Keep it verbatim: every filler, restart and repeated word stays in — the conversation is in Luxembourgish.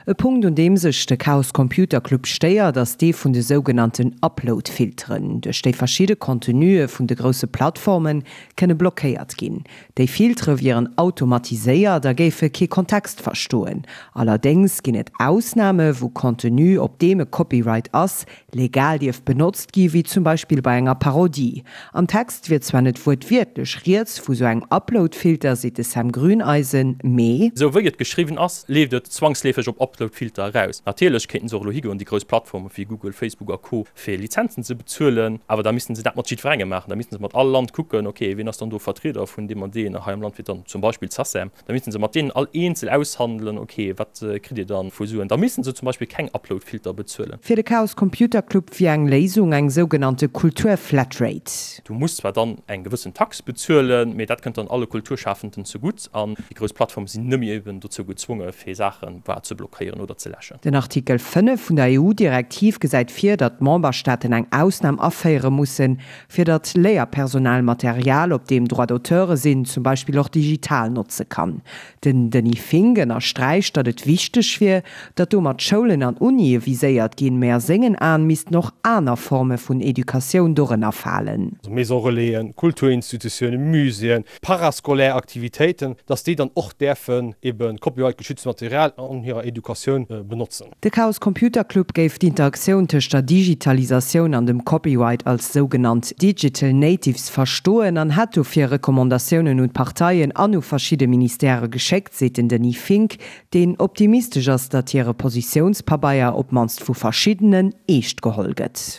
E Punkt, un deem sech de Chaos Computer Club stéiert, ass dee vun de sougenannten Upload-Filteren, duerch déi verschidde Contenue vun de grousse Plattforme kënne blockéiert ginn. Déi Filtere wieren automatiséiert a géife kee Kontext verstoen. Allerdéngs ginn et Ausname wou Contenu, op deem e Copyright ass, legal dierf benotzt gi wéi zum Beispill bei enger Parodie. Am Text wier zwar net wuertwiertlech rieds vu sou engem Upload-Filter, seet de Sam Grüneisen, mee. Sou wéi et geschriwwen ass, leeft et zwangsleefeg op Upload-Filter eraus. Natierlech kéinten se och elo higoen, déi grouss Plattforme wéi Google, Facebook a Co. Fir Lizenzen ze bezuelen, awer da missten se dat mat jiddwerengem maachen. Da missten se mat all Land kucken, ok, wien ass dann do Vertrieder vun deem an deem hei am Land, wier dann zum Beispill d'Sacem. Da missten se mat deenen all eenzel aushandelen, ok, wat kritt dir dann vu Suen. Da missten se zum Beispill keng Upload-Filter bezuelen. Fir de Chaos Computer Club wier eng Léisung eng sougenannte Kultur-Flatrate. Du muss zwar dann eng gewëssen Tax bezuelen, mee dat kënnt dann alle Kulturschafenden zegutt an déi grouss Plattforme sinn nëmme eben dozou gezwonge fir Saachen war ze blockéieren oder ze läschen. Den Artikel fënnef vun der E U-Direktiv gesäit vir, datt d'Memberstaaten eng Ausnam aféiere mussen, fir datt Léierpersonal Material, op deem Droits d'auteure sinn, zum Beispill och digital notze kann. Den Denis Fink ënnersträicht, datt et wichteg wier, datt domat Schoulen an Unie viséiert ginn, mee a sengen Aen missten och aner Forme vun Educatioun dorënner falen. Also Maison-relaisen, Kulturinstitutiounen, Muséeën, parascolaire Aktivitéiten, dass déi dann och däerfen ebe copyright-geschützte Material an hirer Educatioun benotzen. De Chaos Computer Club géif d'Interaktioun tëscht der Digitalisatioun an dem Copyright als sougenannt Digital Natives verstoen an hätt dofir Recommandatiounen un d'Parteien an u verschidde Ministèrë geschéckt, seet den Denis Fink, deen optimistesch ass, datt hire Positiounspabeier op d'mannst vu verschiddenen eescht geholl gëtt.